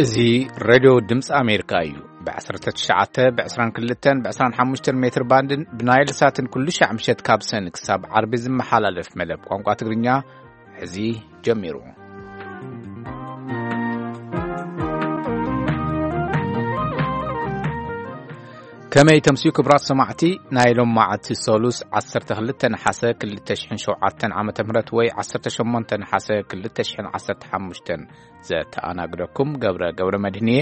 እዚ ሬድዮ ድምፂ ኣሜሪካ እዩ። ብ19፣ ብ22፣ ብ25 ሜትር ባንድን ብናይል ሳትን ኩሉ ሻዕ ምሸት ካብ ሰን ክሳብ ዓርቢ ዝመሓላለፍ መደብ ቋንቋ ትግርኛ ሕዚ ጀሚሩ። ከመይ ተምስዩ ክብራት ሰማዕቲ፣ ናይ ሎም መዓልቲ ሰሉስ 12 ነሓሰ 2007 ዓመተ ምህረት ወይ 18 ነሓሰ 2015 ዘተኣናግደኩም ገብረ ገብረ መድህንየ።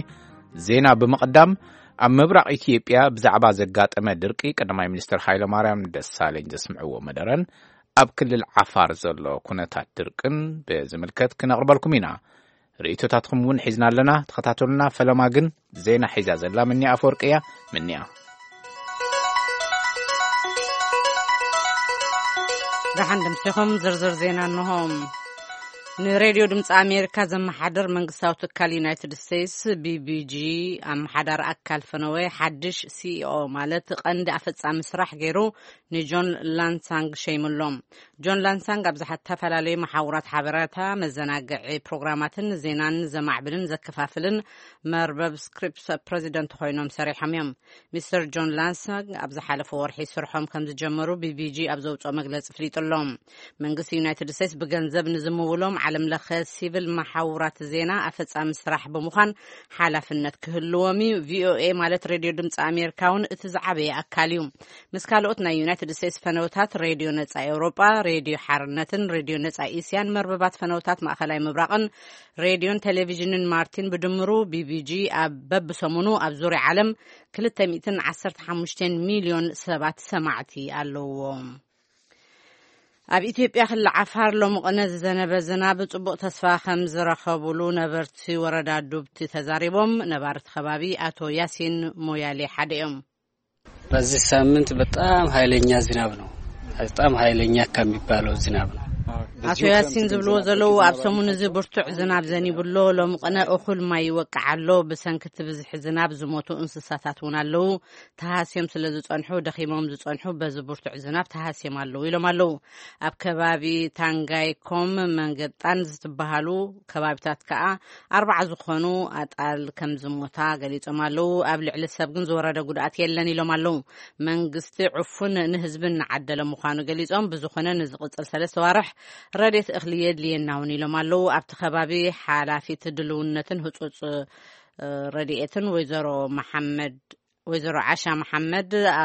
ዜና ብምቕዳም፣ ኣብ ምብራቕ ኢትዮጵያ ብዛዕባ ዘጋጠመ ድርቂ ቀዳማይ ሚኒስትር ሃይለማርያም ደሳለኝ ዘስምዕዎ መደረን ኣብ ክልል ዓፋር ዘሎ ኩነታት ድርቅን ብዝምልከት ክነቕርበልኩም ኢና። ርእይቶታትኩም እውን ሒዝና ኣለና። ተኸታተሉና። ፈለማ ግን ዜና ሒዛ ዘላ ምንያ ኣፈወርቂ እያ። ምንያ። ደሓን ድምሲኹም ዝርዝር ዜና እንሆ። ንሬድዮ ድምፂ ኣሜሪካ ዘመሓደር መንግስታዊ ትካል ዩናይትድ ስቴትስ፣ ቢቢጂ፣ ኣመሓዳሪ ኣካል ፈነወ ሓድሽ ሲኢኦ፣ ማለት ቀንዲ ኣፈጻሚ ስራሕ ገይሩ ንጆን ላንሳንግ ሸይሙሎም። ጆን ላንሳንግ ኣብ ዝተፈላለዩ መሓውራት ሓበሬታ፣ መዘናግዒ ፕሮግራማትን ዜናን ዘማዕብልን ዘከፋፍልን መርበብ ስክሪፕስ ፕሬዚደንት ኮይኖም ሰሪሖም እዮም። ሚስተር ጆን ላንሳንግ ኣብ ዝሓለፈ ወርሒ ስርሖም ከም ዝጀመሩ ቢቢጂ ኣብ ዘውፅኦ መግለፂ ፍሊጡ ኣሎ። መንግስቲ ዩናይትድ ስቴትስ ብገንዘብ ንዝምውሎም ዓለም ለኸ ሲቪል መሓውራት ዜና ኣፈጻሚ ስራሕ ብምዃን ሓላፍነት ክህልዎም እዩ። ቪኦኤ፣ ማለት ሬድዮ ድምፂ ኣሜሪካ እውን እቲ ዝዓበየ ኣካል እዩ። ምስ ካልኦት ናይ ዩናይትድ ስቴትስ ፈነውታት፣ ሬድዮ ነጻ ኤውሮጳ፣ ሬድዮ ሓርነትን ሬድዮ ነጻ እስያን መርበባት ፈነውታት ማእኸላይ ምብራቕን ሬድዮን ቴሌቪዥንን ማርቲን ብድምሩ ቢቢጂ ኣብ በብሰሙኑ ኣብ ዙርያ ዓለም 215 ሚልዮን ሰባት ሰማዕቲ ኣለውዎ። ኣብ ኢትዮጵያ ክልል ዓፋር ሎሚ ቅነ ዝዘነበ ዝናብ ጽቡቕ ተስፋ ከም ዝረኸቡሉ ነበርቲ ወረዳ ዱብቲ ተዛሪቦም። ነባርቲ ከባቢ ኣቶ ያሲን ሞያሌ ሓደ እዮም። በዚህ ሳምንት በጣም ኃይለኛ ዝናብ ነው። በጣም ኃይለኛ ከሚባለው ዝናብ ነው። ኣቶ ያሲን ዝብልዎ ዘለዉ፣ ኣብ ሰሙን እዚ ብርቱዕ ዝናብ ዘኒቡ ኣሎ። ሎሚ ቅነ እኹል ማይ ይወቅዕ ኣሎ። ብሰንኪ እቲ ብዝሒ ዝናብ ዝሞቱ እንስሳታት እውን ኣለዉ። ተሃስዮም ስለ ዝጸንሑ፣ ደኺሞም ዝጸንሑ በዚ ብርቱዕ ዝናብ ተሃስዮም ኣለዉ ኢሎም ኣለዉ። ኣብ ከባቢ ታንጋይኮም መንገጣን ዝትበሃሉ ከባቢታት ከኣ ኣርባዓ ዝኾኑ ኣጣል ከም ዝሞታ ገሊጾም ኣለዉ። ኣብ ልዕሊ ሰብ ግን ዝወረደ ጉድኣት የለን ኢሎም ኣለዉ። መንግስቲ ዕፉን ንህዝቢ እናዓደለ ምዃኑ ገሊጾም፣ ብዝኾነ ንዝቕጽል ሰለስተ ዋርሕ ረድኤት እኽሊ የድልየና እውን ኢሎም ኣለዉ። ኣብቲ ከባቢ ሓላፊት ድልውነትን ህጹጽ፣ እ፣ ረድኤትን ወይዘሮ መሓመድ፣ ወይዘሮ ዓሻ መሓመድ፣ ኣ፣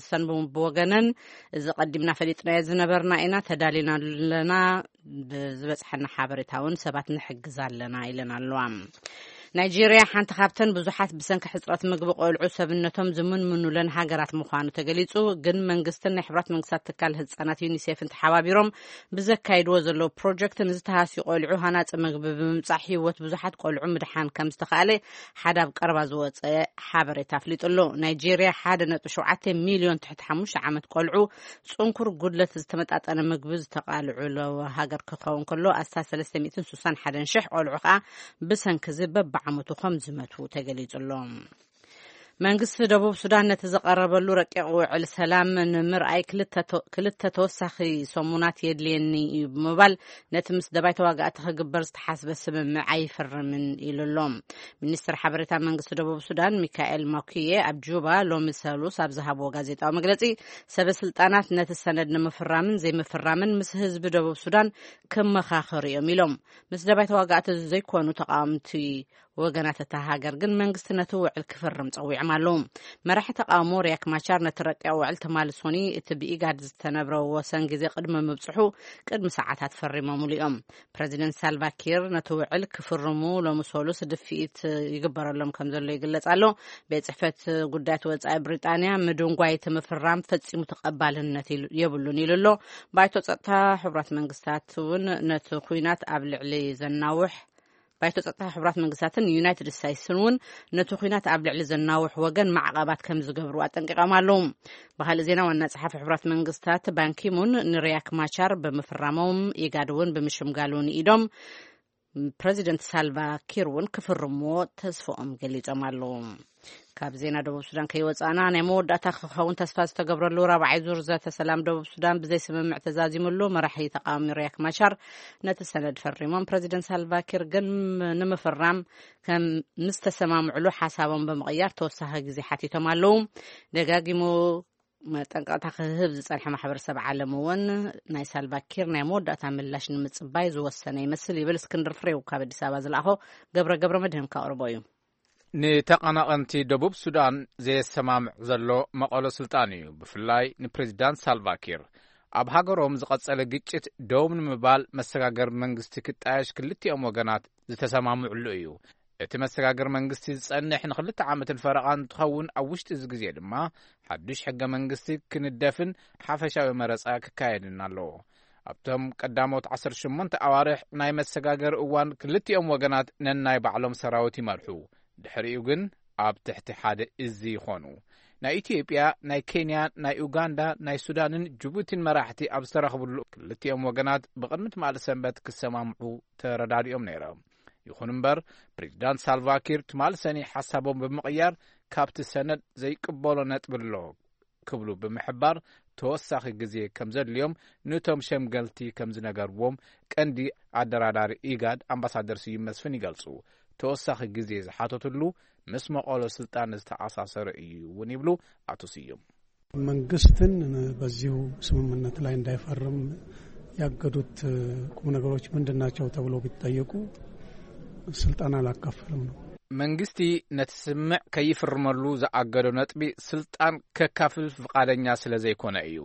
ሰን ብወገነን፣ እዚ ቀዲምና ፈሊጥናዮ ዝነበርና ኢና፣ ተዳሊና ኣለና፣ ብዝበጽሐና ሓበሬታ እውን ሰባት ንሕግዝ ኣለና ኢለን ኣለዋ። ናይጄርያ ሓንቲ ካብተን ብዙሓት ብሰንኪ ሕጽረት ምግቢ ቆልዑ ሰብነቶም ዝምንምኑለን ሃገራት ምዃኑ ተገሊጹ። ግን መንግስትን ናይ ሕብራት መንግስታት ትካል ህጻናት ዩኒሴፍን ተሓባቢሮም ብዘካይድዎ ዘለዉ ፕሮጀክት ንዝተሃስዩ ቆልዑ ሃናጺ ምግቢ ብምምጻእ ህይወት ብዙሓት ቆልዑ ምድሓን ከም ዝተኻእለ ሓደ ኣብ ቀረባ ዝወጸ ሓበሬታ ኣፍሊጡ ኣሎ። ናይጄርያ 1.7 ሚልዮን ትሕቲ ሓሙሽተ ዓመት ቆልዑ ጽንኩር ጉድለት ዝተመጣጠነ ምግቢ ዝተቓልዑ ሃገር ክኸውን ከሎ፣ ኣስታት 361,000 ቆልዑ ከኣ ብሰንኪ እዚ በብዓመቱ ከም ዝመቱ ተገሊጹ ኣሎ። መንግስቲ ደቡብ ሱዳን ነቲ ዝቐረበሉ ረቂቕ ውዕል ሰላም ንምርኣይ ክልተ ተ-፣ ክልተ ተወሳኺ ሰሙናት የድልየኒ እዩ ብምባል፣ ነቲ ምስ ደባይ ተዋጋእቲ ክግበር ዝተሓስበ ስምምዕ ኣይፍርምን ኢሉ ኣሎ። ሚኒስትር ሓበሬታ መንግስቲ ደቡብ ሱዳን ሚካኤል ማኩዬ ኣብ ጁባ ሎሚ ሰሉስ ኣብ ዝሃብዎ ጋዜጣዊ መግለጺ፣ ሰበ ስልጣናት ነቲ ሰነድ ንምፍራምን ዘይምፍራምን ምስ ህዝቢ ደቡብ ሱዳን ክመኻኸሩ እዮም ኢሎም። ምስ ደባይ ተዋጋእቲ ዘይኮኑ ተቃወምቲ ወገናት እታ ሃገር ግን መንግስቲ ነቲ ውዕል ክፍርም ጸዊዖም ኣለዉ። መራሒ ተቃውሞ ሪያክ ማቻር ነቲ ረቂቕ ውዕል ትማሊ ሶኒ እቲ ብኢጋድ ዝተነብረ ወሰን ግዜ ቅድሚ ምብጽሑ ቅድሚ ሰዓታት ፈሪሞምሉ እዮም። ፕረዚደንት ሳልቫ ኪር ነቲ ውዕል ክፍርሙ ሎሚ ሰሉስ ድፍኢት ይግበረሎም ከም ዘሎ ይግለጽ ኣሎ። ቤት ጽሕፈት ጉዳያት ወጻኢ ብሪጣንያ ምድንጓይ እቲ ምፍራም ፈጺሙ ተቐባልነት ኢሉ-፣ የብሉን ኢሉ ኣሎ። ባይቶ ጸጥታ ሕቡራት መንግስታት እውን ነቲ ኲናት ኣብ ልዕሊ ዘናውሕ ባይቶ ጸጥታ ሕቡራት መንግስታትን ዩናይትድ ስቴትስን እውን ነቲ ኲናት ኣብ ልዕሊ ዘናውሕ ወገን ማዕቐባት ከም ዝገብሩ ኣጠንቂቖም ኣለዉ። ብኻልእ ዜና፣ ዋና ጸሓፊ ሕቡራት መንግስታት ባንኪሙን ንሪያክ ማቻር ብምፍራሞም፣ ኢጋድ እውን ብምሽምጋሉ ንኢዶም። ፕረዚደንት ሳልቫ ኪር እውን ክፍርምዎ ተስፍኦም ገሊጾም ኣለዉ። ካብ ዜና ደቡብ ሱዳን ከይወጻእና፣ ናይ መወዳእታ ክኸውን ተስፋ ዝተገብረሉ ራብዓይ ዙር ዘተ ሰላም ደቡብ ሱዳን ብዘይ ስምምዕ ተዛዚሙሉ፣ መራሒ ተቃዋሚ ሪያክ ማቻር ነቲ ሰነድ ፈሪሞም። ፕረዚደንት ሳልቫ ኪር ግን ንምፍራም ከም ምስ ተሰማምዕሉ ሓሳቦም ብምቕያር ተወሳኺ ግዜ ሓቲቶም ኣለዉ። ደጋጊሙ መጠንቀቕታ ክህብ ዝጸንሐ ማሕበረሰብ ዓለም እውን ናይ ሳልቫ ኪር ናይ መወዳእታ ምላሽ ንምጽባይ ዝወሰነ ይመስል ይብል እስክንድር ፍሬው ካብ ኣዲስ ኣበባ ዝለኣኾ። ገብረ ገብረ መድህን ከቕርቦ እዩ። ንተቐናቐንቲ ደቡብ ሱዳን ዘየሰማምዕ ዘሎ መቐሎ ስልጣን እዩ። ብፍላይ ንፕሬዚዳንት ሳልቫ ኪር ኣብ ሃገሮም ዝቐጸለ ግጭት ደው ንምባል መሰጋገር መንግስቲ ክጣየሽ ክልቲኦም ወገናት ዝተሰማምዕሉ እዩ። እቲ መሰጋገር መንግስቲ ዝጸንሕ ንክልተ ዓመትን ፈረቓን እንትኸውን፣ ኣብ ውሽጢ እዚ ግዜ ድማ ሓዱሽ ሕገ መንግስቲ ክንደፍን ሓፈሻዊ መረጻ ክካየድን ኣለዎ። ኣብቶም ቀዳሞት ዓሰርተ ሸሞንተ ኣዋርሕ ናይ መሰጋገሪ እዋን ክልቲኦም ወገናት ነናይ ባዕሎም ሰራዊት ይመርሑ። ድሕሪኡ ግን ኣብ ትሕቲ ሓደ እዚ ይኾኑ። ናይ ኢትዮጵያ፣ ናይ ኬንያ፣ ናይ ኡጋንዳ፣ ናይ ሱዳንን ጅቡቲን መራሕቲ ኣብ ዝተረኽብሉ ክልቲኦም ወገናት ብቕድሚ ትማሊ ሰንበት ክሰማምዑ ተረዳዲኦም ነይሮም። ይኹን እምበር፣ ፕሬዚዳንት ሳልቫ ኪር ትማሊ ሰኒ ሓሳቦም ብምቕያር ካብቲ ሰነድ ዘይቅበሎ ነጥቢ ኣሎ ክብሉ ብምሕባር፣ ተወሳኺ ግዜ ከም ዘድልዮም ነቶም ሸምገልቲ ከም ዝነገርዎም ቀንዲ ኣደራዳሪ ኢጋድ ኣምባሳደር ስዩም መስፍን ይገልጹ። ተወሳኺ ግዜ ዝሓተትሉ ምስ መቐሎ ስልጣን ዝተኣሳሰረ እዩ እውን ይብሉ ኣቶ ስዩም። መንግስትን በዚሁ ስምምነት ላይ እንዳይፈርም ያገዱት ቁም ነገሮች ምንድን ናቸው ተብሎ ቢጠየቁ፣ ስልጣን አላካፈልም ነው። መንግስቲ ነቲ ስምምዕ ከይፍርመሉ ዝኣገዶ ነጥቢ፣ ስልጣን ከካፍል ፍቓደኛ ስለ ዘይኮነ እዩ።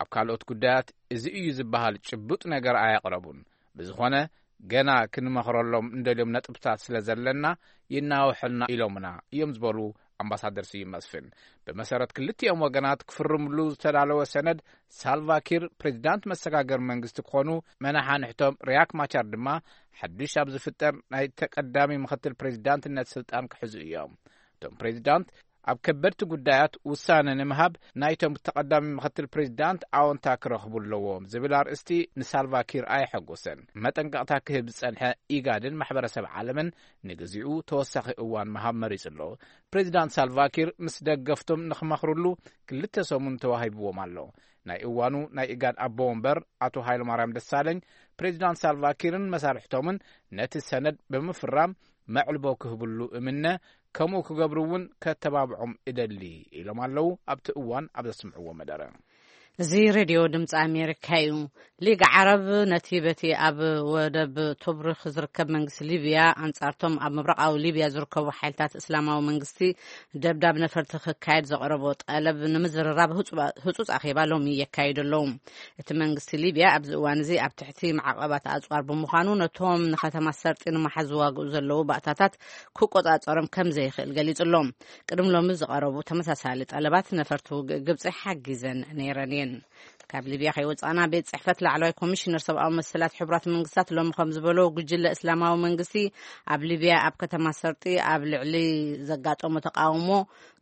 ኣብ ካልኦት ጉዳያት እዚ እዩ ዝበሃል ጭቡጥ ነገር ኣየቕረቡን። ብዝኾነ፣ ገና ክንመኽረሎም እንደልዮም ነጥብታት ስለ ዘለና፣ ይናውሐልና ኢሎምና እዮም ዝበሉ ኣምባሳደር ስዩም መስፍን። ብመሰረት ክልቲኦም ወገናት ክፍርምሉ ዝተዳለወ ሰነድ፣ ሳልቫ ኪር ፕሬዚዳንት መሰጋገር መንግስቲ ክኾኑ፣ መናሓንሕቶም ሪያክ ማቻር ድማ ሓዱሽ ኣብ ዝፍጠር ናይ ተቀዳሚ ምኽትል ፕሬዚዳንትነት ስልጣን ክሕዙ እዮም። እቶም ፕሬዚዳንት ኣብ ከበድቲ ጉዳያት ውሳነ ንምሃብ ናይቶም ተቐዳሚ ምኽትል ፕሬዚዳንት ኣወንታ ክረኽቡ ኣለዎም ዝብል ኣርእስቲ ንሳልቫ ኪር ኣየሐጎሰን። መጠንቀቕታ ክህብ ዝጸንሐ ኢጋድን ማሕበረሰብ ዓለምን ንግዚኡ ተወሳኺ እዋን ምሃብ መሪጹ ኣሎ። ፕሬዚዳንት ሳልቫ ኪር ምስ ደገፍቶም ንኽመኽርሉ ክልተ ሰሙን ተዋሂብዎም ኣሎ። ናይ እዋኑ ናይ ኢጋድ ኣቦ ወንበር ኣቶ ሃይለማርያም ደሳለኝ፣ ፕሬዚዳንት ሳልቫ ኪርን መሳርሕቶምን ነቲ ሰነድ ብምፍራም መዕልቦ ክህብሉ እምነ፣ ከምኡ ክገብሩ እውን ከተባብዖም እደሊ ኢሎም ኣለዉ። ኣብቲ እዋን ኣብ ዘስምዕዎ መደረ፣ እዚ ሬድዮ ድምፂ ኣሜሪካ እዩ። ሊግ ዓረብ ነቲ በቲ ኣብ ወደብ ቶብሩክ ዝርከብ መንግስቲ ሊብያ ኣንጻርቶም ኣብ ምብራቓዊ ሊብያ ዝርከቡ ሓይልታት እስላማዊ መንግስቲ ደብዳብ ነፈርቲ ክካየድ ዘቕረቦ ጠለብ ንምዝርራብ ህጹጽ ኣኼባ ሎሚ የካይዱ ኣለዉ። እቲ መንግስቲ ሊብያ ኣብዚ እዋን እዚ ኣብ ትሕቲ ማዕቐባት ኣጽዋር ብምዃኑ፣ ነቶም ንከተማ ሰርጢ ንምሓዝ ዝዋግኡ ዘለዉ ባእታታት ክቆጻጸሮም ከም ዘይኽእል ገሊጹ ኣሎ። ቅድም ሎሚ ዝቐረቡ ተመሳሳሊ ጠለባት ነፈርቲ ውግእ ግብጺ ሓጊዘን ነይረን እየን። ካብ ሊብያ ከይወጻእና፣ ቤት ጽሕፈት ላዕለዋይ ኮሚሽነር ሰብኣዊ መሰላት ሕቡራት መንግስታት ሎሚ ከም ዝበሎ፣ ጉጅለ እስላማዊ መንግስቲ ኣብ ሊብያ ኣብ ከተማ ሰርጢ ኣብ ልዕሊ ዘጋጠሞ ተቃውሞ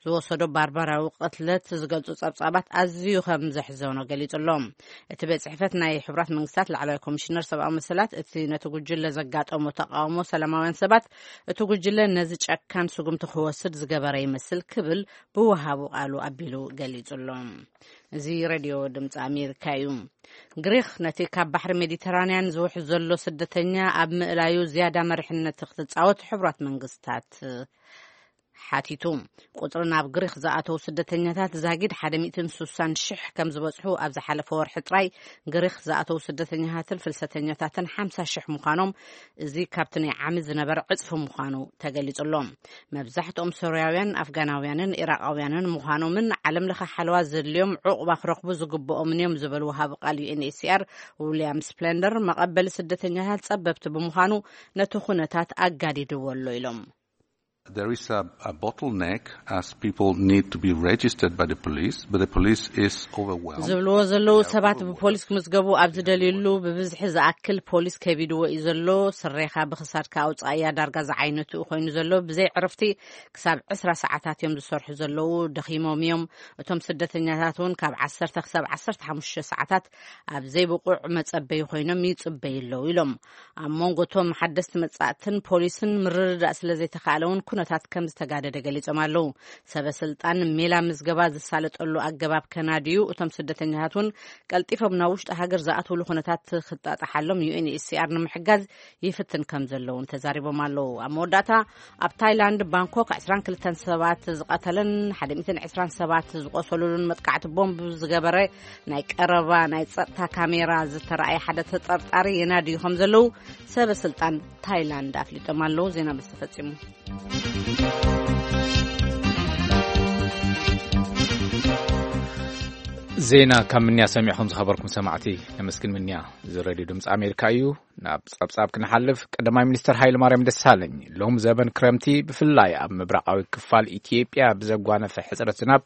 ዝወሰዶ ባርባራዊ ቅትለት ዝገልጹ ጸብጻባት ኣዝዩ ከም ዘሕዘኖ ገሊጹ ኣሎ። እቲ ቤት ጽሕፈት ናይ ሕቡራት መንግስታት ላዕለዋይ ኮሚሽነር ሰብኣዊ መሰላት፣ እቲ ነቲ ጉጅለ ዘጋጠሞ ተቃውሞ ሰላማውያን ሰባት፣ እቲ ጉጅለ ነዚ ጨካን ስጉምቲ ክወስድ ዝገበረ ይመስል ክብል ብወሃቡ ቃሉ ኣቢሉ ገሊጹ ኣሎ። እዚ ሬድዮ ድምፂ ኣሜሪካ እዩ። ግሪክ ነቲ ካብ ባሕሪ ሜዲተራንያን ዝውሕዝ ዘሎ ስደተኛ ኣብ ምእላዩ ዝያዳ መሪሕነት ክትጻወት ሕቡራት መንግስታት ሓቲቱ። ቁፅሪ ናብ ግሪክ ዝኣተዉ ስደተኛታት ዛጊድ ሓደ ሚእትን ስሳን ሽሕ ከም ዝበፅሑ ኣብ ዝሓለፈ ወርሒ ጥራይ ግሪክ ዝኣተዉ ስደተኛታትን ፍልሰተኛታትን ሓምሳ ሽሕ ምዃኖም፣ እዚ ካብቲ ናይ ዓሚ ዝነበረ ዕፅፊ ምዃኑ ተገሊጹ ኣሎ። መብዛሕትኦም ሶርያውያን፣ ኣፍጋናውያንን ኢራቃውያንን ምዃኖምን ዓለም ለኸ ሓለዋ ዘድልዮም ዕቑባ ክረኽቡ ዝግብኦምን እዮም ዝበሉ ወሃቢ ቃል ዩ ኤን ኤች ሲ ኣር ዊልያም ስፕለንደር፣ መቐበሊ ስደተኛታት ጸበብቲ ብምዃኑ ነቲ ኩነታት ኣጋዲድዎ ኣሎ ኢሎም። There is a, a bottleneck as people need to be registered by the police, but the police is overwhelmed. ዝብልዎ ዘለዉ ሰባት ብፖሊስ ክምዝገቡ ኣብ ዝደልዩሉ ብብዝሒ ዝኣክል ፖሊስ ከቢድዎ እዩ ዘሎ። ስሬኻ ብኽሳድካ ኣውጻእያ ዳርጋ ዝዓይነቱ ኮይኑ ዘሎ። ብዘይ ዕረፍቲ ክሳብ ዕስራ ሰዓታት እዮም ዝሰርሑ ዘለዉ። ደኺሞም እዮም። እቶም ስደተኛታት እውን ካብ ዓሰርተ ክሳብ ዓሰርተ ሓሙሽተ ሰዓታት ኣብ ዘይብቑዕ መጸበዪ ኮይኖም ይጽበዩ ኣለዉ ኢሎም። ኣብ መንጎ እቶም ሓደስቲ መጻእትን ፖሊስን ምርድዳእ ስለ ዘይተኻእለ እውን ኩነታት ከም ዝተጋደደ ገሊጾም ኣለዉ። ሰበ ስልጣን ሜላ ምዝገባ ዝሳለጠሉ ኣገባብ ከናድዩ፣ እቶም ስደተኛታት እውን ቀልጢፎም ናብ ውሽጢ ሃገር ዝኣትውሉ ኩነታት ክጣጣሓሎም ዩ ኤን ኤች ሲ ኣር ንምሕጋዝ ይፍትን ከም ዘለውን ተዛሪቦም ኣለዉ። ኣብ መወዳእታ ኣብ ታይላንድ ባንኮክ ዕስራን ክልተን ሰባት ዝቐተለን ሓደ ሚእትን ዕስራን ሰባት ዝቆሰሉሉን መጥቃዕቲ ቦምብ ዝገበረ ናይ ቀረባ ናይ ጸጥታ ካሜራ ዝተረኣየ ሓደ ተጠርጣሪ የናድዩ ከም ዘለዉ ሰበ ስልጣን ታይላንድ ኣፍሊጦም ኣለዉ። ዜና በዚ ተፈጺሙ። ዜና ካብ ምንያ ሰሚዕኹም ዝኸበርኩም ሰማዕቲ ነመስግን። ምንያ እዚ ሬድዮ ድምፂ ኣሜሪካ እዩ። ናብ ጸብጻብ ክንሓልፍ፣ ቀዳማይ ሚኒስትር ሃይለ ማርያም ደሳለኝ ሎም ዘበን ክረምቲ ብፍላይ ኣብ ምብራቓዊ ክፋል ኢትዮጵያ ብዘጓነፈ ሕጽረት ዝናብ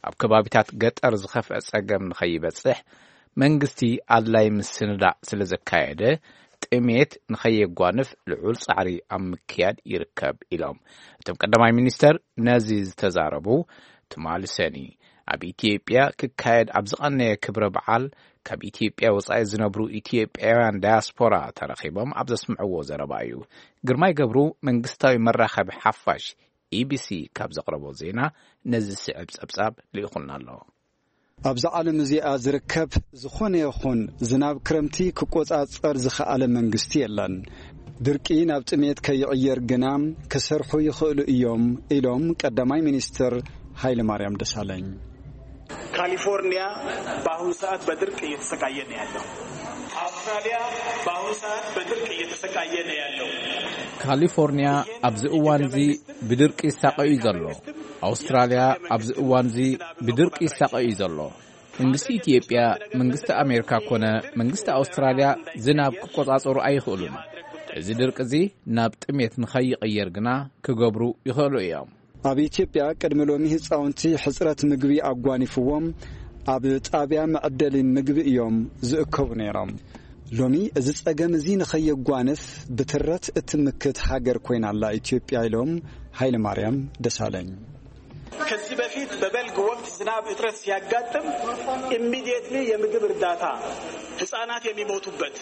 ኣብ ከባቢታት ገጠር ዝኸፍአ ጸገም ንኸይበጽሕ መንግስቲ ኣድላይ ምስንዳእ ስለ ዘካየደ ጥሜት ንኸየጓንፍ ልዑል ጻዕሪ ኣብ ምክያድ ይርከብ ኢሎም። እቶም ቀዳማይ ሚኒስተር ነዚ ዝተዛረቡ ትማሊ ሰኒ ኣብ ኢትዮጵያ ክካየድ ኣብ ዝቐነየ ክብረ በዓል ካብ ኢትዮጵያ ወጻኢ ዝነብሩ ኢትዮጵያውያን ዳያስፖራ ተረኺቦም ኣብ ዘስምዕዎ ዘረባ እዩ። ግርማይ ገብሩ መንግስታዊ መራኸቢ ሓፋሽ ኢቢሲ ካብ ዘቕረቦ ዜና ነዚ ዝስዕብ ጸብጻብ ልኢኹልና ኣሎ። ኣብዛ ዓለም እዚኣ ዝርከብ ዝኾነ ይኹን ዝናብ ክረምቲ ክቆጻጸር ዝኸኣለ መንግስቲ የለን። ድርቂ ናብ ጥሜት ከይቕየር ግና ክሰርሑ ይኽእሉ እዮም ኢሎም ቀዳማይ ሚኒስትር ሃይለማርያም ደሳለኝ። ካሊፎርኒያ በአሁኑ ሰዓት በድርቅ እየተሰቃየ ነው ያለው። አውስትራሊያ በአሁኑ ሰዓት በድርቅ እየተሰቃየ ነው ያለው። ካሊፎርኒያ ኣብዚ እዋን እዚ ብድርቂ ይሳቐ እዩ ዘሎ። ኣውስትራልያ ኣብዚ እዋን እዚ ብድርቂ ይሳቐ እዩ ዘሎ። መንግስቲ ኢትዮጵያ፣ መንግስቲ ኣሜሪካ ኮነ መንግስቲ ኣውስትራልያ ዝናብ ክቆጻጸሩ ኣይኽእሉን። እዚ ድርቂ እዚ ናብ ጥሜት ንኸይቕየር ግና ክገብሩ ይኽእሉ እዮም። ኣብ ኢትዮጵያ ቅድሚ ሎሚ ህጻውንቲ ሕጽረት ምግቢ ኣጓኒፍዎም ኣብ ጣብያ መዕደሊ ምግቢ እዮም ዝእከቡ ነይሮም። ሎሚ እዚ ጸገም እዚ ንኸየጓንፍ ብትረት እትምክት ሃገር ኮይና ኣላ ኢትዮጵያ ኢሎም ሃይለማርያም ደሳለኝ። ከዚህ በፊት በበልግ ወቅት ዝናብ እጥረት ሲያጋጥም ኢሚዲየትሊ የምግብ እርዳታ ህጻናት የሚሞቱበት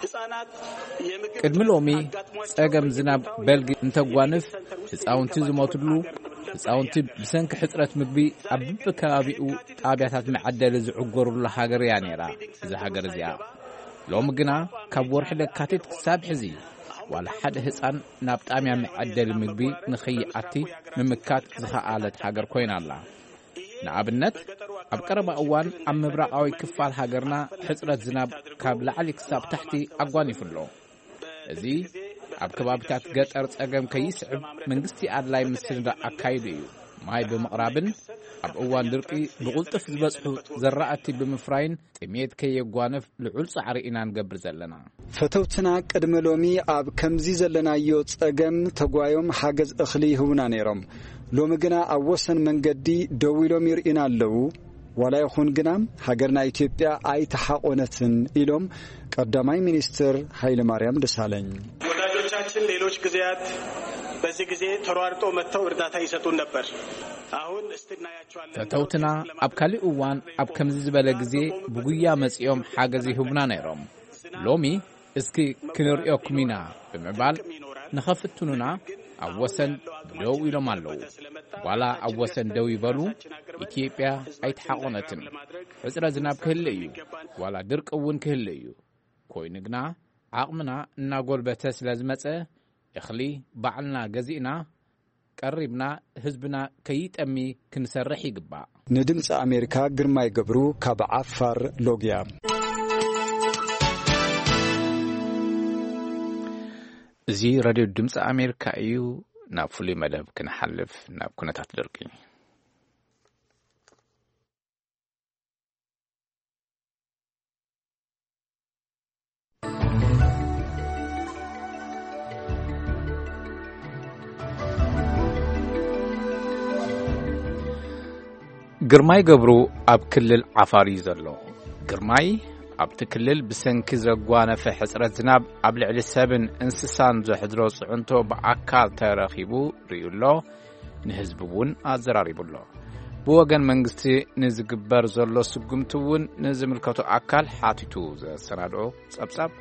ህጻናት የምግብ ቅድሚ ሎሚ ጸገም ዝናብ በልግ እንተጓንፍ ህጻውንቲ ዝሞትሉ፣ ህጻውንቲ ብሰንኪ ሕጽረት ምግቢ ኣብ በብከባቢኡ ጣብያታት መዐደሊ ዝዕጎርሉ ሃገር እያ ነይራ እዛ ሃገር እዚኣ። ሎሚ ግና ካብ ወርሒ ለካቲት ክሳብ ሕዚ ዋላ ሓደ ህጻን ናብ ጣብያ መዐደሊ ምግቢ ንኸይኣቲ ምምካት ዝኸኣለት ሃገር ኮይና ኣላ። ንኣብነት፣ ኣብ ቀረባ እዋን ኣብ ምብራቓዊ ክፋል ሃገርና ሕጽረት ዝናብ ካብ ላዕሊ ክሳብ ታሕቲ ኣጓኒፉ ኣሎ። እዚ ኣብ ከባቢታት ገጠር ጸገም ከይስዕብ መንግስቲ ኣድላይ ምስንዳእ ኣካይዱ እዩ። ማይ ብምቕራብን ኣብ እዋን ድርቂ ብቕልጡፍ ዝበጽሑ ዘራእቲ ብምፍራይን ጥሜት ከየጓንፍ ልዑል ጻዕሪ ኢና ንገብር ዘለና። ፈተውትና ቅድሚ ሎሚ ኣብ ከምዚ ዘለናዮ ጸገም ተጓዮም ሓገዝ እኽሊ ይህቡና ነይሮም። ሎሚ ግና ኣብ ወሰን መንገዲ ደው ኢሎም ይርእዩና ኣለዉ። ዋላ ይኹን ግና ሃገርና ኢትዮጵያ ኣይተሓቆነትን ኢሎም ቀዳማይ ሚኒስትር ሃይለማርያም ደሳለኝ። ወዳጆቻችን ሌሎች ጊዜያት በዚህ ጊዜ ተሯርጠው መጥተው እርዳታ ይሰጡን ነበር። አሁን እስቲ እናያቸዋለን። ፈተውትና ኣብ ካሊእ እዋን ኣብ ከምዚ ዝበለ ግዜ ብጉያ መጺኦም ሓገዝ ይህቡና ነይሮም። ሎሚ እስኪ ክንርእየኩም ኢና ብምባል ንኸፍትኑና ኣብ ወሰን ደው ኢሎም ኣለዉ። ዋላ ኣብ ወሰን ደው ይበሉ፣ ኢትዮጵያ ኣይተሓቆነትን። ሕጽረ ዝናብ ክህለ እዩ፣ ዋላ ድርቂ እውን ክህለ እዩ። ኮይኑ ግና ዓቕምና እናጎልበተ ስለ ዝመጸ እኽሊ ባዕልና ገዚእና ቀሪብና ህዝብና ከይጠሚ ክንሰርሕ ይግባእ። ንድምፂ ኣሜሪካ ግርማይ ገብሩ ካብ ዓፋር ሎግያ። እዚ ሬድዮ ድምፂ ኣሜሪካ እዩ። ናብ ፍሉይ መደብ ክንሓልፍ ናብ ኩነታት ደርቂ። ግርማይ ገብሩ ኣብ ክልል ዓፋር እዩ ዘሎ። ግርማይ ኣብቲ ክልል ብሰንኪ ዘጓነፈ ሕጽረት ዝናብ ኣብ ልዕሊ ሰብን እንስሳን ዘሕድሮ ጽዕንቶ ብኣካል ተረኺቡ ርእዩ ኣሎ፣ ንህዝቢ እውን ኣዘራሪቡ ኣሎ። ብወገን መንግስቲ ንዝግበር ዘሎ ስጉምቲ እውን ንዝምልከቶ ኣካል ሓቲቱ ዘሰናድኦ ጸብጻብ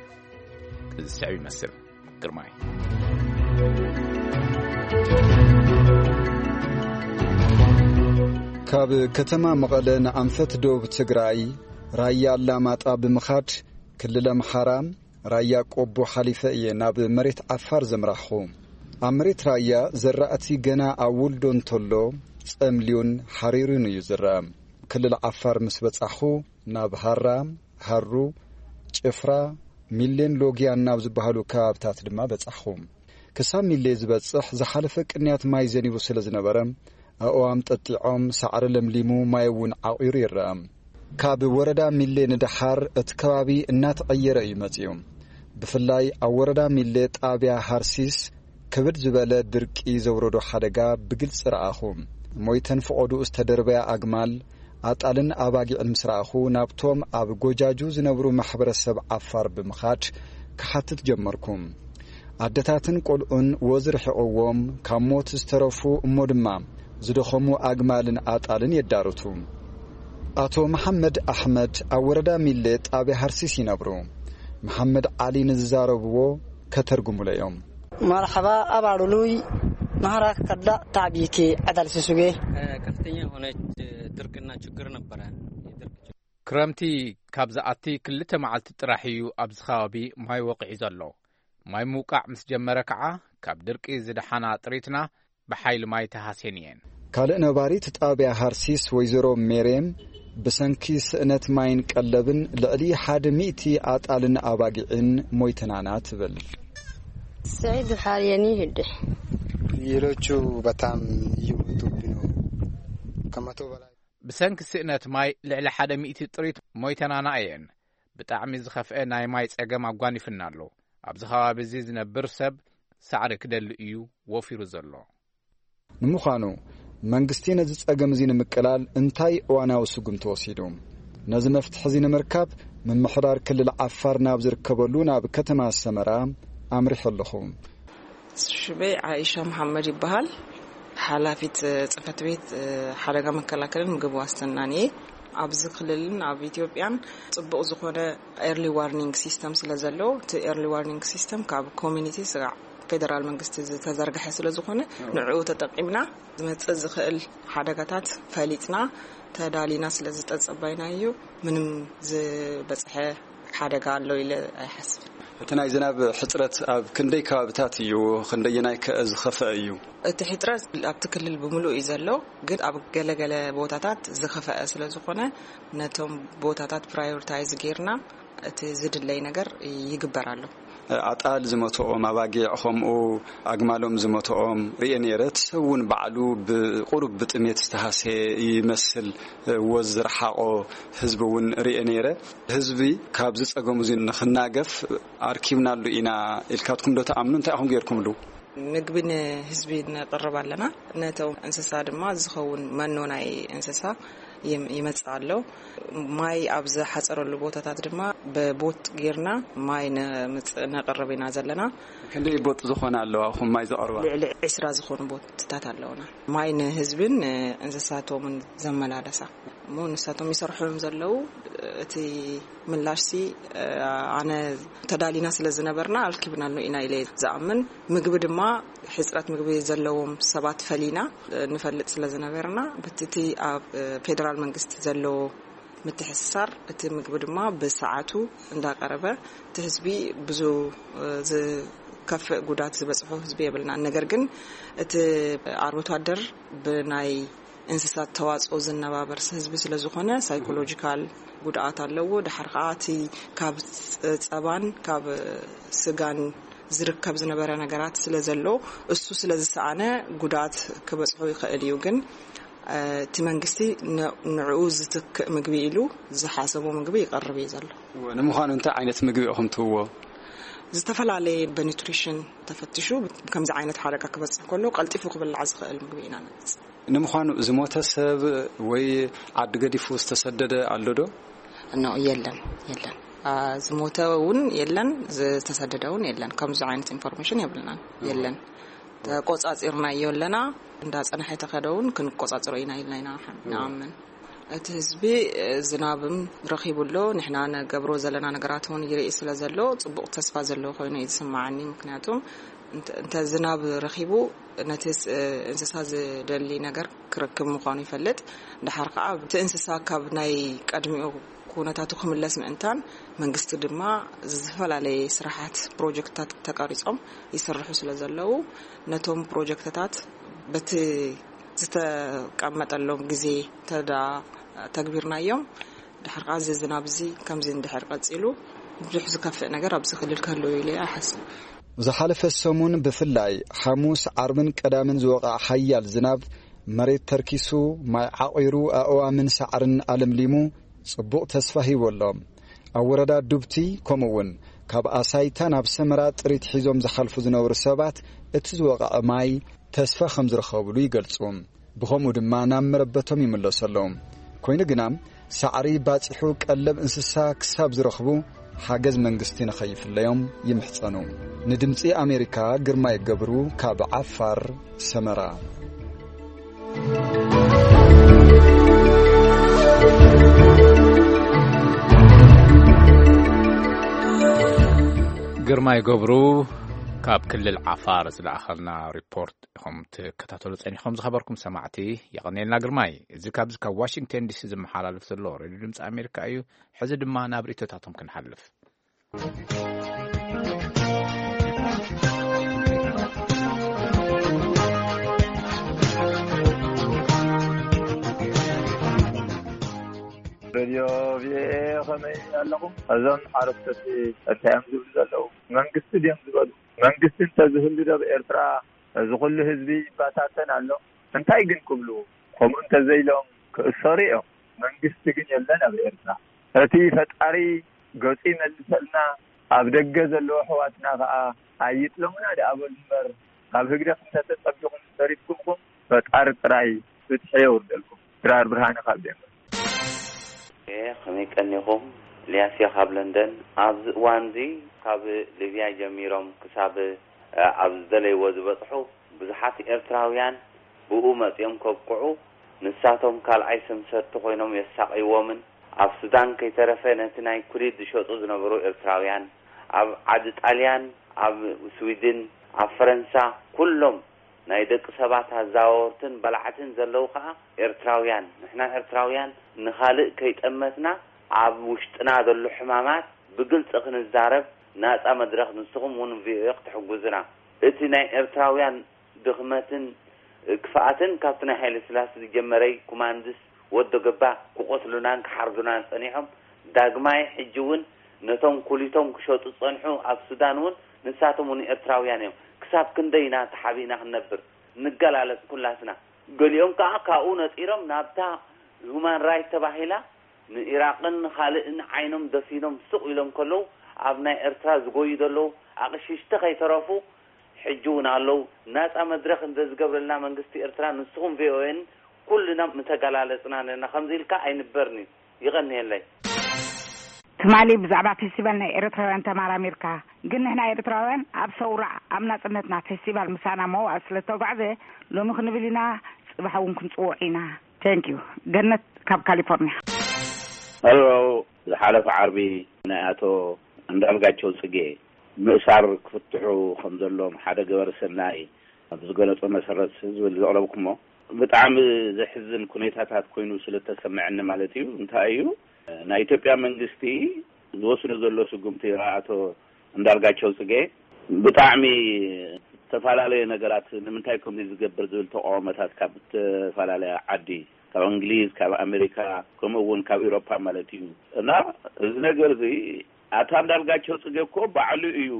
እዚ ስዕብ ይመስል። ግርማይ። ካብ ከተማ መቐለ ንኣንፈት ደቡብ ትግራይ ራያ ኣላማጣ ብምኻድ ክልል ኣምሓራ ራያ ቆቦ ሓሊፈ እየ ናብ መሬት ዓፋር ዘምራሕኹ። ኣብ መሬት ራያ ዘራእቲ ገና ኣብ ውልዶ እንተሎ ጸምልዩን ሓሪሩን እዩ ዝረአ። ክልል ዓፋር ምስ በጻሕኹ ናብ ሃራ፣ ሃሩ፣ ጭፍራ፣ ሚሌን ሎጊያን ናብ ዝበሃሉ ከባብታት ድማ በጻሕኹ። ክሳብ ሚሌ ዝበጽሕ ዝሓለፈ ቅንያት ማይ ዘኒቡ ስለ ዝነበረ ኣእዋም ጠጢዖም ሳዕሪ ለምሊሙ ማይ እውን ዓቒሩ ይረአ። ካብ ወረዳ ሚሌ ንደሓር እቲ ከባቢ እናተቐየረ እዩ መጺኡ። ብፍላይ ኣብ ወረዳ ሚሌ ጣብያ ሃርሲስ ክብድ ዝበለ ድርቂ ዘውረዶ ሓደጋ ብግልጺ ረኣኹ። ሞይተን ፈቐድኡ ዝተደርበያ ኣግማል ኣጣልን ኣባጊዕን ምስ ረኣኹ፣ ናብቶም ኣብ ጎጃጁ ዝነብሩ ማሕበረሰብ ዓፋር ብምኻድ ክሓትት ጀመርኩ። ኣደታትን ቆልዑን ወዝ ርሒቕዎም ካብ ሞት ዝተረፉ እሞ ድማ ዝደኸሙ ኣግማልን ኣጣልን የዳርቱ። ኣቶ መሓመድ ኣሕመድ ኣብ ወረዳ ሚሌ ጣብያ ሃርሲስ ይነብሩ። መሓመድ ዓሊ ንዝዛረብዎ ከተርጉሙለ እዮም። መርሓባ ኣባሉሉይ ናህራ ከዳ ታዕቢቲ ዓዳል ስሱጌ። ከፍተኛ የሆነ ድርቅና ችግር ነበረ። ክረምቲ ካብ ዝኣቲ ክልተ መዓልቲ ጥራሕ እዩ ኣብዚ ከባቢ ማይ ወቒዑ ዘሎ። ማይ ምውቃዕ ምስ ጀመረ ከዓ ካብ ድርቂ ዝደሓና ጥሪትና ብሓይሊ ማይ ተሃስየን እየን። ካልእ ነባሪት ጣብያ ሃርሲስ ወይዘሮ ሜሬም ብሰንኪ ስእነት ማይን ቀለብን ልዕሊ ሓደ ሚእቲ ኣጣልን ኣባጊዕን ሞይተናና ትብል። ስዒድ ሓርየኒ ህድሕ። ፍየሎቹ በጣም እየሞቱብኝ ነው። ከመቶ በላይ። ብሰንኪ ስእነት ማይ ልዕሊ ሓደ ሚእቲ ጥሪት ሞይተናና እየን። ብጣዕሚ ዝኸፍአ ናይ ማይ ጸገም ኣጓኒፍና ኣሎ። ኣብዚ ከባቢ እዚ ዝነብር ሰብ ሳዕሪ ክደሊ እዩ ወፊሩ ዘሎ። ንምዃኑ መንግስቲ ነዚ ጸገም እዚ ንምቅላል እንታይ እዋናዊ ስጉምቲ ወሲዱ? ነዚ መፍትሒ እዚ ንምርካብ ምምሕዳር ክልል ዓፋር ናብ ዝርከበሉ ናብ ከተማ ሰመራ ኣምሪሐ ኣለኹ። ሽመይ ዓይሻ መሓመድ ይበሃል። ሓላፊት ጽሕፈት ቤት ሓደጋ መከላከልን ምግብ ዋስትናን እየ። ኣብዚ ክልልን ኣብ ኢትዮጵያን ጽቡቕ ዝኾነ ኤርሊ ዋርኒንግ ሲስተም ስለ ዘሎ፣ እቲ ኤርሊ ዋርኒንግ ሲስተም ካብ ኮሚኒቲ ስጋዕ ፌደራል መንግስቲ ዝተዘርግሐ ስለ ዝኾነ፣ ንዕኡ ተጠቂምና ዝመጽእ ዝኽእል ሓደጋታት ፈሊጥና ተዳሊና ስለ ዝጠጸባይና እዩ። ምንም ዝበጽሐ ሓደጋ ኣሎ ኢለ ኣይሓስብን። እቲ ናይ ዝናብ ሕጽረት ኣብ ክንደይ ከባብታት እዩ? ክንደየናይ ከ ዝኸፍአ እዩ? እቲ ሕጽረት ኣብቲ ክልል ብምሉእ እዩ ዘሎ፣ ግን ኣብ ገለገለ ቦታታት ዝኸፍአ ስለ ዝኾነ፣ ነቶም ቦታታት ፕራዮሪታይዝ ጌርና እቲ ዝድለይ ነገር ይግበር ኣሎ። ኣጣል ዝመትኦም፣ ኣባጊዕ ከምኡ ኣግማሎም ዝመትኦም ርእየ ነይረ። እቲ ሰብ እውን ባዕሉ ብቁሩብ ብጥሜት ዝተሃስየ ይመስል። ወዝ ዝረሓቖ ህዝቢ እውን ርእየ ነይረ። ህዝቢ ካብዚ ጸገሙ እዚ ንኽናገፍ ኣርኪብናሉ ኢና ኢልካትኩም ዶ ትኣምኑ? እንታይ ኢኹም ጌርኩምሉ? ምግቢ ንህዝቢ ነቕርብ ኣለና። ነቶም እንስሳ ድማ ዝኸውን መኖ ናይ እንስሳ ይም-፣ ይመጽእ ኣሎ። ማይ ኣብ ዝሓጸረሉ ቦታታት ድማ ብቦት ጌርና ማይ ነምጽእ፣ ነቕርብ ኢና ዘለና። ክንደይ ቦጥ ዝኾና ኣለዋ ኹም ማይ ዘቕርባ? ልዕሊ ዕስራ ዝኾኑ ቦትታት ኣለውና። ማይ ንህዝብን ንእንስሳቶምን ዘመላለሳ። እሞ ንሳቶም ይሰርሑ እዮም ዘለዉ። እቲ ምላሽሲ፣ ኣነ ተዳሊና ስለ ዝነበርና ኣርኪብናሉ ኢና ኢለ ዝኣምን። ምግቢ ድማ ሕጽረት ምግቢ ዘለዎም ሰባት ፈሊና ንፈልጥ ስለ ዝነበርና፣ በቲ እቲ ኣብ ፌደራል መንግስቲ ዘለዎ ምትሕስሳር፣ እቲ ምግቢ ድማ ብሰዓቱ እንዳቀረበ፣ እቲ ህዝቢ ብዙ ዝከፍእ ጉዳት ዝበጽሖ ህዝቢ የብልናን። ነገር ግን እቲ ኣርብቶ ኣደር ብናይ እንስሳት ተዋጽኦ ዝነባበር ህዝቢ ስለ ዝኾነ፣ ሳይኮሎጂካል ጉድኣት ኣለዎ። ድሓር ከኣ እቲ ካብ ጸባን ካብ ስጋን ዝርከብ ዝነበረ ነገራት ስለ ዘሎ፣ እሱ ስለ ዝሰኣነ ጉድኣት ክበጽሖ ይኽእል እዩ። ግን፣ እ፣ እቲ መንግስቲ ን-፣ ንዕኡ ዝትክእ ምግቢ ኢሉ ዝሓሰቦ ምግቢ ይቐርብ እዩ ዘሎ። እወ፣ ንምዃኑ እንታይ ዓይነት ምግቢ ኢኹም ትህብዎ? ዝተፈላለየ ብኒትሪሽን ተፈትሹ ከምዚ ዓይነት ሓደጋ ክበፅሕ ከሎ ቀልጢፉ ክብላዕ ዝኽእል ምግቢ ኢና ነምፅእ። ንምዃኑ ዝሞተ ሰብ ወይ ዓዲ ገዲፉ ዝተሰደደ ኣሎ ዶ? ኖ፣ የለን፣ የለን። ዝሞተ እውን የለን፣ ዝተሰደደ እውን የለን። ከምዚ ዓይነት ኢንፎርሜሽን የብልናን፣ የለን። ተቆፃፂርናዮ ኣለና። እንዳፀናሐ ተኸደ እውን ክንቆፃፅሮ ኢና ኢልና ኢና ንኣምን። እቲ ህዝቢ ዝናብም ረኺቡ ኣሎ። ንሕና ነገብሮ ዘለና ነገራት እውን ይርኢ ስለ ዘሎ ፅቡቕ ተስፋ ዘለዎ ኮይኑ እዩ ዝስማዓኒ። ምክንያቱ እንተ ዝናብ ረኺቡ ነቲ እንስሳ ዝደሊ ነገር ክረክብ ምዃኑ ይፈልጥ። ድሓር ከዓ እቲ እንስሳ ካብ ናይ ቀድሚኡ ኩነታቱ ክምለስ ምእንታን መንግስቲ ድማ ዝተፈላለየ ስራሓት ፕሮጀክትታት ተቀሪጾም ይስርሑ ስለ ዘለዉ ነቶም ፕሮጀክትታት በቲ ዝተቀመጠሎም ግዜ ተዳ ተግቢርናዮም። ድሓር ከዓ እዚ ዝናብ እዚ ከምዚ እንድሕር ቀፂሉ ብዙሕ ዝከፍእ ነገር ኣብዚ ክልል ክህልው ኢለ እየ ሓስብ። ዝሓለፈ ሰሙን ብፍላይ ሓሙስ፣ ዓርብን ቀዳምን ዝወቕዐ ሓያል ዝናብ መሬት ተርኪሱ፣ ማይ ዓቒሩ፣ ኣእዋምን ሳዕርን ኣለምሊሙ፣ ጽቡቕ ተስፋ ሂቡ ኣሎ። ኣብ ወረዳ ዱብቲ፣ ከምኡ እውን ካብ ኣሳይታ ናብ ሰመራ ጥሪት ሒዞም ዝሓልፉ ዝነበሩ ሰባት፣ እቲ ዝወቕዐ ማይ ተስፋ ከም ዝረኸብሉ ይገልጹ። ብኸምኡ ድማ ናብ መረበቶም ይምለሱ ኣለዉ። ኮይኑ ግና፣ ሳዕሪ ባጺሑ ቀለብ እንስሳ ክሳብ ዝረኽቡ፣ ሓገዝ መንግስቲ ንኸይፍለዮም ይምሕጸኑ። ንድምጺ ኣሜሪካ፣ ግርማይ ገብሩ፣ ካብ ዓፋር፣ ሰመራ። ግርማይ ገብሩ ካብ ክልል ዓፋር ዝለኣኸልና ሪፖርት ኢኹም ትከታተሉ ጸኒኹም ዝኸበርኩም ሰማዕቲ። የቐኔልና ግርማይ። እዚ ካብዚ ካብ ዋሽንግተን ዲሲ ዝመሓላለፍ ዘሎ ሬድዮ ድምፂ ኣሜሪካ እዩ። ሕዚ ድማ ናብ ርእይቶታቶም ክንሓልፍ። ሬድዮ ቪኦኤ፣ ከመይ ኣለኹም? እዞም ሓረስቶት እንታይ እዮም ዝብሉ ዘለዉ? መንግስቲ ድዮም ዝበሉ? መንግስቲ እንተዝህሉ ዶ ኣብ ኤርትራ እዚ ኩሉ ህዝቢ ይባታተን ኣሎ? እንታይ ግን ክብሉ? ከምኡ እንተዘይሎም ክእሰሩ እዮም። መንግስቲ ግን የለን ኣብ ኤርትራ። እቲ ፈጣሪ ገጹ ይመልሰልና። ኣብ ደገ ዘለዉ ኣሕዋትና ከኣ ኣይጥለሙና ደኣ በሉ እምበር፣ ካብ ህግደፍ እንተተጸቢኹም ተሪፍኩምኹም፣ ፈጣሪ ጥራይ ፍትሒ የውርደልኩም። ድራር ብርሃነ ካብ ዴንቨር። ኤ፣ ከመይ ቀኒኹም? ኢልያስ እየ ካብ ለንደን። ኣብዚ እዋንዚ ካብ ሊብያ ጀሚሮም ክሳብ፣ እ፣ ኣብ ዝደለይዎ ዝበጽሑ ብዙሓት ኤርትራውያን ብኡ መጺኦም ከብቅዑ፣ ንሳቶም ካልኣይ ሰምሰርቲ ኮይኖም የሳቕይዎምን፣ ኣብ ሱዳን ከይተረፈ ነቲ ናይ ኩሊት ዝሸጡ ዝነበሩ ኤርትራውያን፣ ኣብ ዓዲ ጣልያን፣ ኣብ ስዊድን፣ ኣብ ፈረንሳ፣ ኩሎም ናይ ደቂ ሰባት ኣዛወርትን በላዕትን ዘለዉ ኸኣ ኤርትራውያን። ንሕና ኤርትራውያን ንኻልእ ከይጠመትና ኣብ ውሽጥና ዘሎ ሕማማት ብግልጺ ክንዛረብ ናጻ መድረኽ ንስኹም እውን ቪኦኤ ክትሕግዙና። እቲ ናይ ኤርትራውያን ድኽመትን ክፍኣትን ካብቲ ናይ ሃይለ ስላሴ ዝጀመረይ ኩማንድስ ወዶ ገባ ክቆስሉናን ክሓርዱናን ጸኒሖም። ዳግማይ ሕጂ እውን ነቶም ኩሊቶም ክሸጡ ዝጸንሑ ኣብ ሱዳን እውን ንሳቶም እውን ኤርትራውያን እዮም። ክሳብ ክንደይ ኢና ተሓቢእና ክንነብር? ንገላለጽ ኩላትና። ገሊኦም ከኣ ካብኡ ነጺሮም ናብታ ሁማን ራይት ተባሂላ ንኢራቕን ካልእን ዓይኖም ደፊኖም ስቕ ኢሎም ከለዉ፣ ኣብ ናይ ኤርትራ ዝጎዩ ዘለዉ ኣቕሽሽቲ ከይተረፉ ሕጂ እውን ኣለዉ። ናጻ መድረኽ እንተዝገብረልና መንግስቲ ኤርትራ፣ ንስኹም ቪኦኤን ኩልና ምተገላለጽና ነርና። ከምዚ ኢልካ ኣይንበርን እዩ። ይቐንየለይ። ትማሊ ብዛዕባ ፌስቲቫል ናይ ኤርትራውያን ተመራሚርካ፣ ግን ንሕና ኤርትራውያን ኣብ ሰውራ ኣብ ናጽነትና ፌስቲቫል ምሳና መዋእል ስለ ዝተጓዕዘ፣ ሎሚ ክንብል ኢና፣ ጽባሕ እውን ክንጽውዖ ኢና። ቴንክ ዩ። ገነት ካብ ካሊፎርኒያ። ሄሎ፣ ዝሓለፈ ዓርቢ ናይ ኣቶ እንዳልጋቸው ጽጌ ምእሳር ክፍትሑ ከም ዘሎም ሓደ ገበረ ሰናይ ኣብ ዝገለጾ መሰረት ዝብል ዘቕረብኩሞ ብጣዕሚ ዘሕዝን ኩነታታት ኮይኑ ስለ ተሰምዐኒ ማለት እዩ። እንታይ እዩ ናይ ኢትዮጵያ መንግስቲ ዝወስዶ ዘሎ ስጉምቲ ኣቶ እንዳልጋቸው ጽጌ ብጣዕሚ ዝተፈላለየ ነገራት ንምንታይ ከምዚ ዝገብር ዝብል ተቃውሞታት ካብ ዝተፈላለያ ዓዲ፣ ካብ እንግሊዝ፣ ካብ ኣሜሪካ፣ ከምኡ እውን ካብ ኤውሮፓ ማለት እዩ። እና እዚ ነገር እዚ ኣታ እንዳልጋቸው ጽጌ እኮ ባዕሉ እዩ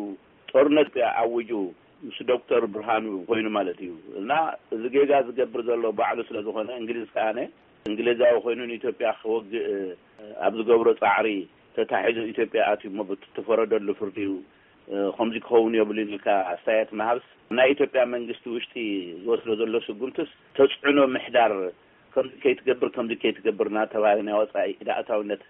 ጦርነት ኣውጁ ምስ ዶክተር ብርሃኑ ኮይኑ ማለት እዩ። እና እዚ ጌጋ ዝገብር ዘሎ ባዕሉ ስለ ዝኾነ፣ እንግሊዝ ከኣነ እንግሊዛዊ ኮይኑ ንኢትዮጵያ ክወግእ ኣብ ዝገብሮ ጻዕሪ ተታሒዙ ኢትዮጵያ ኣትዩ እሞ ብቲ ተፈረደሉ ፍርዲ እዩ እ፣ ከምዚ ክኸውን የብሉን ኢልካ ኣስተያየት ምሃብስ፣ ናይ ኢትዮጵያ መንግስቲ ውሽጢ ዝወስዶ ዘሎ ስጉምትስ ተጽዕኖ ምሕዳር፣ ከምዚ ከይትገብር፣ ከምዚ ከይትገብር እናተባህለ ናይ ወጻኢ ኢድ ኣእታውነት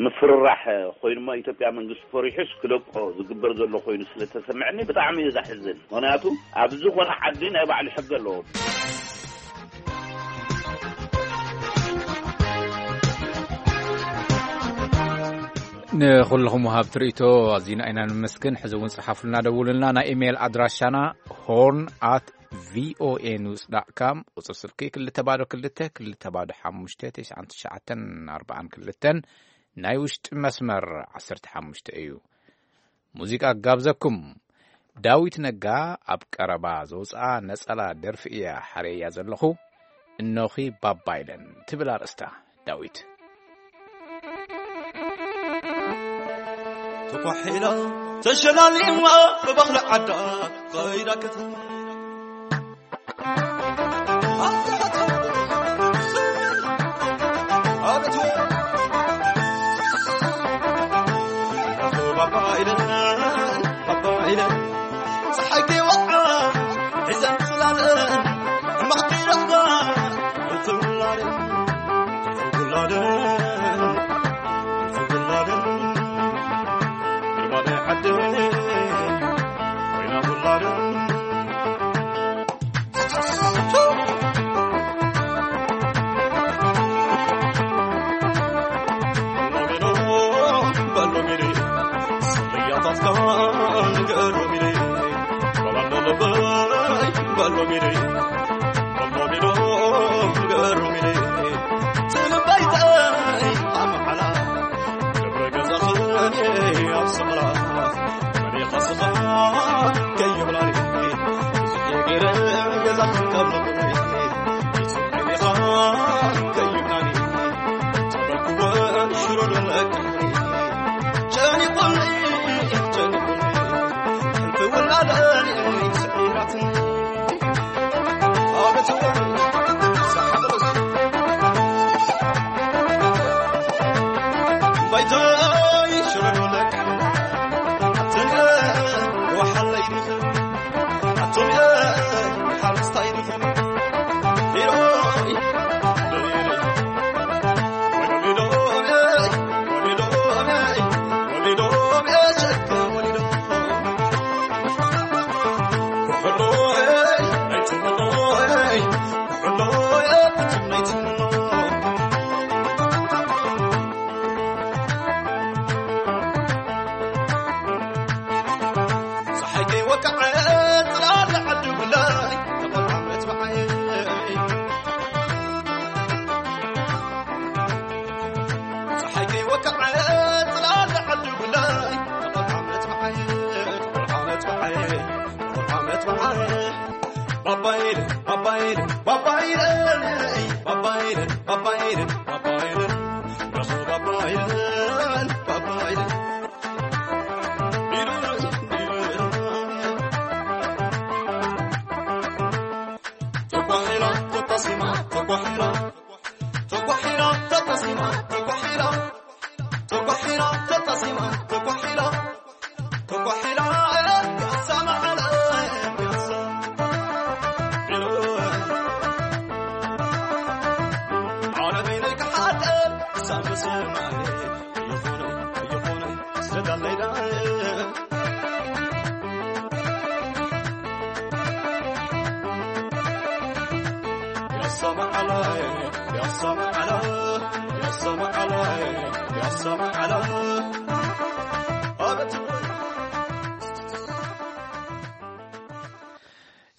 ምፍርራሕ ኮይኑ እሞ፣ ኢትዮጵያ መንግስቲ ፈሪሑስ ክለቆ ዝግበር ዘሎ ኮይኑ ስለ ተሰምዐኒ ብጣዕሚ እዩ ዘሕዝን። ምኽንያቱ ኣብ ዝኾነ ዓዲ ናይ ባዕሉ ሕጊ ኣለዎ። ንኹልኹም ወሃብቲ ርእይቶ ኣዚና ኢና ንመስግን። ሕዚ እውን ጽሓፉልና፣ ደውሉልና። ናይ ኢሜይል ኣድራሻና ሆርን ኣት ቪኦኤ ኒውስ ዳት ካም፣ ቁጽሪ ስልኪ ክልተ ባዶ ክልተ ክልተ ባዶ ሓሙሽተ ተስዓን ትሽዓተን ኣርባዓን ክልተን፣ ናይ ውሽጢ መስመር ዓሰርተ ሓሙሽተ እዩ። ሙዚቃ ክጋብዘኩም። ዳዊት ነጋ ኣብ ቀረባ ዘውፅኣ ነጸላ ደርፊ እያ ሓረያ ዘለኹ። እኖኺ ባባ ኢለን ትብል ኣርእስታ። ዳዊት ተኳሒላ ተሸላሊማ ብባኽሊ ዓዳ ኸይዳ ከተማ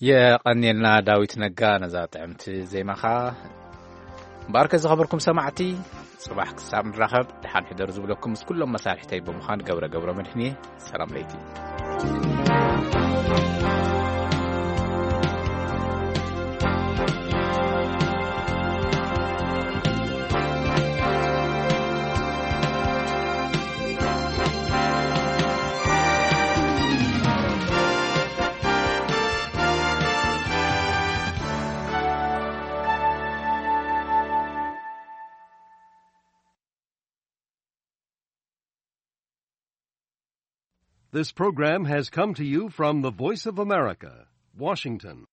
የቐንየልና ዳዊት ነጋ ነዛ ጥዕምቲ ዜማኻ። እምበኣርከ ዝኸበርኩም ሰማዕቲ፣ ጽባሕ ክሳብ ንራኸብ ደሓን ሕደሩ ዝብለኩም ምስ ኩሎም መሳርሕተይ ብምዃን ገብረ ገብረ መድህን እየ። ሰላም ለይቲ። This program has come to you from the Voice of America, Washington.